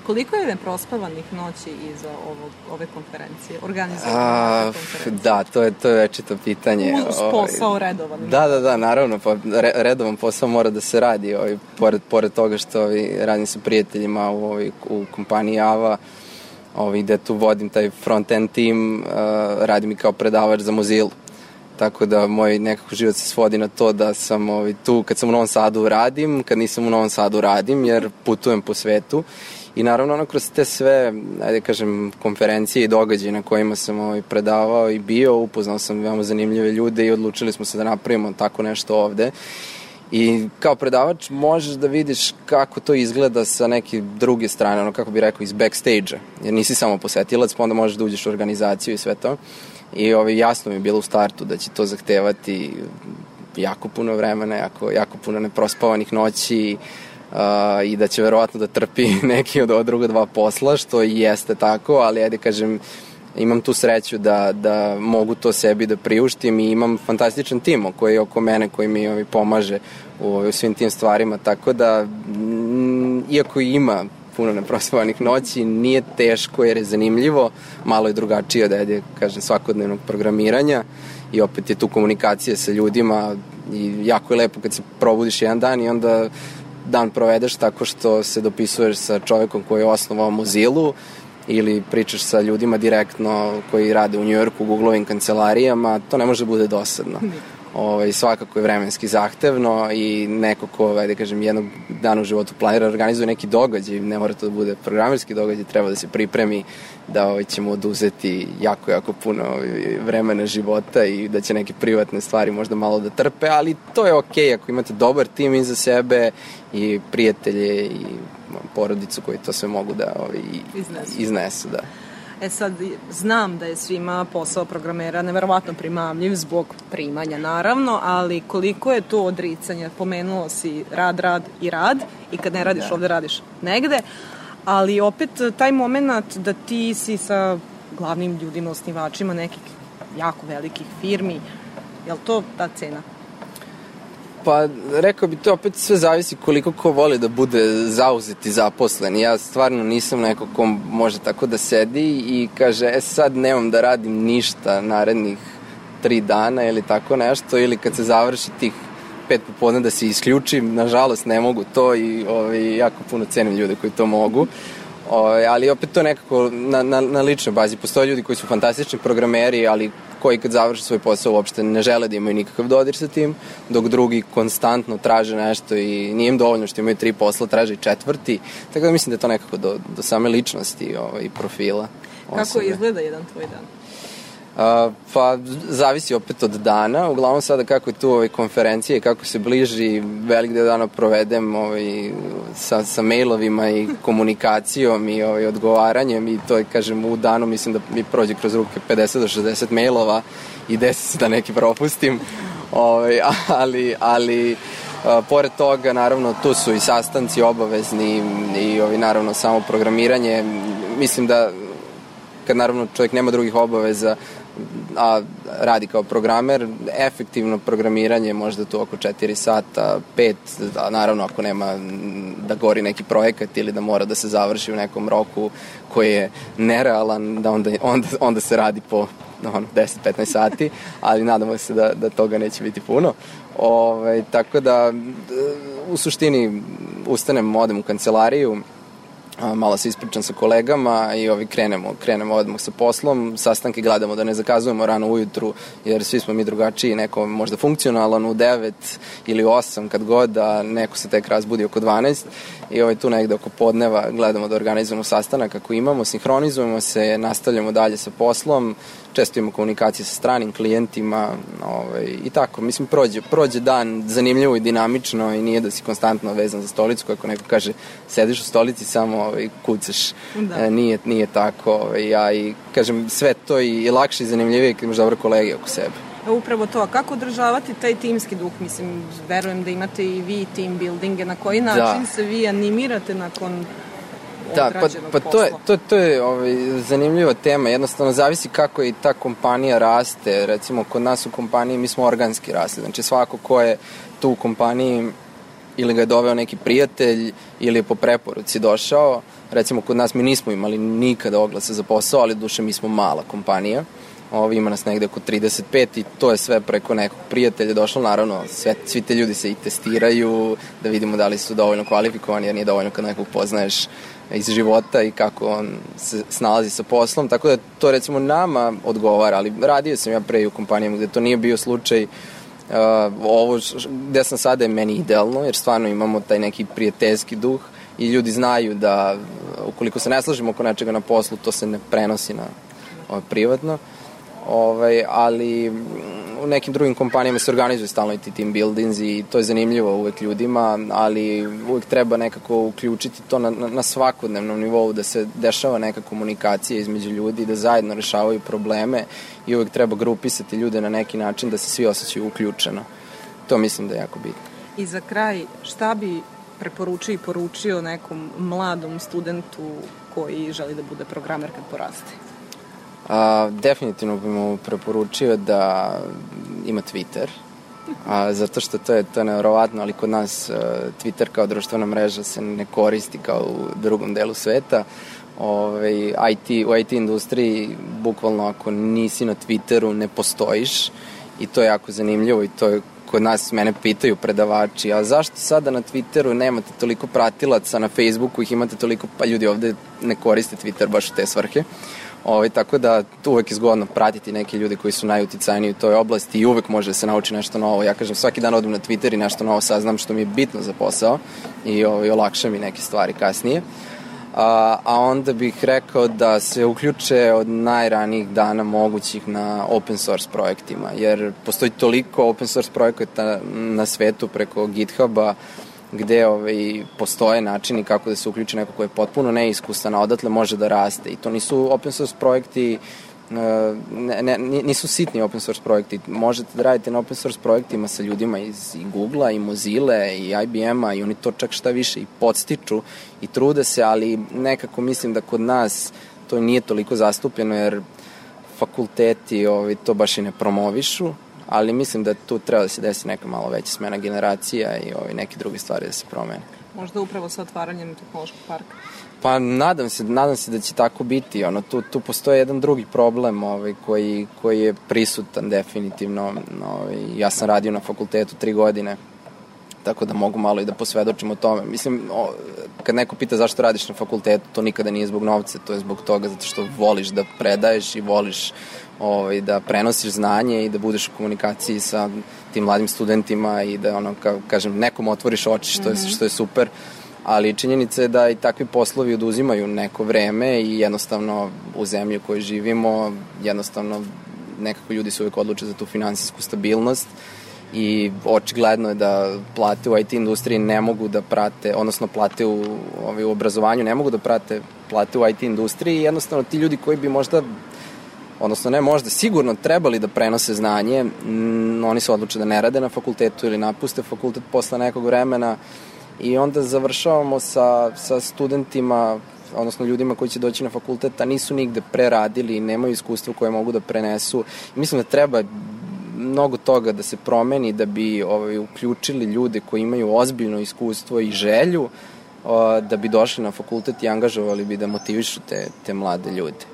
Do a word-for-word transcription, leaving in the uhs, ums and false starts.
Koliko je neprospavanih noći iza ovog, ove konferencije, organizovane konferencije? Da, to je, to je večito pitanje. Uz posao redovan. Da, da, da, naravno, pa re, redovan posao mora da se radi, ovaj, pored, pored toga što ovaj, radim sa prijateljima u, ovaj, u kompaniji Ava, ovaj, gde tu vodim taj front-end tim, uh, radim i kao predavač za Mozilla. Tako da moj nekako život se svodi na to da sam ovaj, tu, kad sam u Novom Sadu radim, kad nisam u Novom Sadu radim, jer putujem po svetu. I naravno, ono, kroz te sve, ajde kažem, konferencije i događaje na kojima sam ovaj, predavao i bio, upoznao sam veoma zanimljive ljude i odlučili smo se da napravimo tako nešto ovde. I kao predavač možeš da vidiš kako to izgleda sa neke druge strane, ono, kako bih rekao, iz backstage-a. Jer nisi samo posetilac, pa onda možeš da uđeš u organizaciju i sve to. I ovaj, jasno mi je bilo u startu da će to zahtevati jako puno vremena, jako, jako puno neprospavanih noći, Uh, i da će verovatno da trpi neki od ova druga dva posla, što i jeste tako, ali ajde kažem, imam tu sreću da, da mogu to sebi da priuštim i imam fantastičan tim koji je oko mene, koji mi ovaj, pomaže u, u svim tim stvarima, tako da m, iako ima puno neprospavanih noći, nije teško jer je zanimljivo, malo je drugačije od, ajde kažem, svakodnevnog programiranja i opet je tu komunikacija sa ljudima i jako je lepo kad se probudiš jedan dan i onda dan provedeš tako što se dopisuješ sa čovekom koji je osnovao Mozillu ili pričaš sa ljudima direktno koji rade u Njujorku u Googlovim kancelarijama, to ne može da bude dosadno. Ovaj, svakako je vremenski zahtevno i neko ko, da kažem, jednog dana u životu planira organizuje neki događaj, ne mora to da bude programerski događaj, treba da se pripremi da ovaj, ćemo oduzeti jako, jako puno ovaj, vremena života i da će neke privatne stvari možda malo da trpe, ali to je okej ako imate dobar tim iza sebe i prijatelje i porodicu koji to sve mogu da ovaj, iznesu. iznesu da. E sad, znam da je svima posao programera neverovatno primamljiv zbog primanja, naravno, ali koliko je to odricanje? Pomenuo si rad, rad i rad i kad ne radiš da. ovde, radiš negde, ali opet taj moment da ti si sa glavnim ljudima, osnivačima nekih jako velikih firmi, je li to ta cena? Pa, rekao bi, to opet sve zavisi koliko ko voli da bude zauzet i zaposlen. Ja stvarno nisam neko ko može tako da sedi i kaže, e sad nemam da radim ništa narednih tri dana ili tako nešto, ili kad se završi tih pet popodne da se isključim, nažalost ne mogu to i ovaj, jako puno cenim ljude koji to mogu. O, ali opet to nekako na, na, na ličnoj bazi. Postoje ljudi koji su fantastični programeri, ali koji kad završe svoj posao uopšte ne žele da imaju nikakav dodir sa tim, dok drugi konstantno traže nešto i nije im dovoljno što imaju tri posla, traže i četvrti. Tako da mislim da je to nekako do, do same ličnosti ovaj, profila. Kako osobe. Izgleda jedan tvoj dan? Uh, pa zavisi opet od dana, uglavnom sada kako je tu ovaj, konferencija i kako se bliži, velik deo dana provedem ovaj, sa, sa mailovima i komunikacijom i ovaj, odgovaranjem i to je, kažem, u danu mislim da mi prođe kroz ruke pedeset do šezdeset mailova i desi se da neki propustim, ovaj, ali, ali uh, pored toga naravno tu su i sastanci obavezni i ovaj, naravno samo programiranje, mislim da kad naravno čovjek nema drugih obaveza a radi kao programer, efektivno programiranje možda tu oko četiri sata, pet, a naravno ako nema da gori neki projekat ili da mora da se završi u nekom roku koji je nerealan, da onda, onda, onda se radi po ono, deset do petnaest sati, ali nadamo se da, da toga neće biti puno. Ove, tako da u suštini ustanem, odem u kancelariju, malo se ispričam sa kolegama i ovi krenemo, krenemo odmah sa poslom, sastanke gledamo da ne zakazujemo rano ujutru, jer svi smo mi drugačiji, neko možda funkcionalan u devet ili osam kad god, a neko se tek razbudi oko dvanaest i ovaj tu negde oko podneva gledamo da organizujemo sastanak ako imamo, sinhronizujemo se, nastavljamo dalje sa poslom, često imamo komunikacije sa stranim klijentima ovaj, i tako, mislim prođe, prođe dan zanimljivo i dinamično i nije da si konstantno vezan za stolicu, kako neko kaže sediš u stolici samo ovaj, kucaš, e, nije, nije tako ovaj, ja i kažem sve to i, i lakše i zanimljivije kad imaš dobre kolege oko sebe. Upravo to, a kako održavati taj timski duh? Mislim, verujem da imate i vi team buildinge, na koji način da. se vi animirate nakon Da, pa, pa to je, to, to je ovaj, zanimljiva tema, jednostavno zavisi kako i ta kompanija raste, recimo kod nas u kompaniji mi smo organski rasli, znači svako ko je tu u kompaniji ili ga je doveo neki prijatelj ili je po preporuci došao. Recimo kod nas mi nismo imali nikada oglase za posao, ali duše mi smo mala kompanija. Ovi ima nas negde oko trideset pet i to je sve preko nekog prijatelja došlo. Naravno, sve, svi te ljudi se i testiraju da vidimo da li su dovoljno kvalifikovani, jer nije dovoljno kad nekog poznaješ iz života i kako on se snalazi sa poslom. Tako da to recimo nama odgovara, ali radio sam ja pre i u kompanijama gde to nije bio slučaj. Uh, ovo gde sam sada je meni idealno, jer stvarno imamo taj neki prijateljski duh i ljudi znaju da ukoliko se ne slažemo oko nečega na poslu, to se ne prenosi na ovaj, privatno. Ovaj, ali u nekim drugim kompanijama se organizuju stalno i ti team buildings i to je zanimljivo uvek ljudima, ali uvek treba nekako uključiti to na, na, na svakodnevnom nivou, da se dešava neka komunikacija između ljudi, da zajedno rešavaju probleme i uvek treba grupisati ljude na neki način da se svi osjećaju uključeno. To mislim da je jako bitno. I za kraj, šta bi preporučio i poručio nekom mladom studentu koji želi da bude programer kad poraste? A, definitivno bih mu preporučio da ima Twitter, a, zato što to je, to je nevjerovatno, ali kod nas a, Twitter kao društvena mreža se ne koristi kao u drugom delu sveta. Ove, I T, u I T industriji bukvalno ako nisi na Twitteru ne postojiš i to je jako zanimljivo i to je kod nas, mene pitaju predavači, a zašto sada na Twitteru nemate toliko pratilaca, na Facebooku ih imate toliko, pa ljudi ovde ne koriste Twitter baš u te svrhe. Ovaj, tako da tu uvek je zgodno pratiti neke ljude koji su najuticajniji u toj oblasti i uvek može da se nauči nešto novo. Ja kažem, svaki dan odem na Twitter i nešto novo saznam što mi je bitno za posao i ovaj, olakša mi neke stvari kasnije. A, a onda bih rekao da se uključe od najranijih dana mogućih na open source projektima, jer postoji toliko open source projekata na svetu preko GitHuba, gde ovaj, postoje načini kako da se uključi neko ko je potpuno neiskusan, a odatle može da raste. I to nisu open source projekti, ne, ne, nisu sitni open source projekti. Možete da radite na open source projektima sa ljudima iz i Googlea, i Mozilla, i I B M-a, i oni to čak šta više i podstiču i trude se, ali nekako mislim da kod nas to nije toliko zastupljeno, jer fakulteti ovaj, to baš i ne promovišu, ali mislim da tu treba da se desi neka malo veća smena generacija i ovaj, neke druge stvari da se promene. Možda upravo sa otvaranjem tehnološkog parka? Pa nadam se, nadam se da će tako biti. Ono, tu, tu postoje jedan drugi problem ovaj, koji, koji je prisutan definitivno. Ovaj, ja sam radio na fakultetu tri godine, tako da mogu malo i da posvedočim o tome. Mislim, o, kad neko pita zašto radiš na fakultetu, to nikada nije zbog novca, to je zbog toga zato što voliš da predaješ i voliš ovaj, da prenosiš znanje i da budeš u komunikaciji sa tim mladim studentima i da, ono, ka, kažem, nekom otvoriš oči, što je, što je super, ali činjenica je da i takvi poslovi oduzimaju neko vreme i jednostavno u zemlji u kojoj živimo, jednostavno nekako ljudi se uvek odluče za tu finansijsku stabilnost i očigledno je da plate u I T industriji ne mogu da prate, odnosno plate u, ovaj, u obrazovanju ne mogu da prate plate u I T industriji i jednostavno ti ljudi koji bi možda, odnosno ne možda, sigurno trebali da prenose znanje, m, oni se odluče da ne rade na fakultetu ili napuste fakultet posle nekog vremena i onda završavamo sa, sa studentima, odnosno ljudima koji će doći na fakultet, a nisu nigde preradili, nemaju iskustvo koje mogu da prenesu. I mislim da treba mnogo toga da se promeni da bi ovaj, uključili ljude koji imaju ozbiljno iskustvo i želju o, da bi došli na fakultet i angažovali bi da motivišu te, te mlade ljude.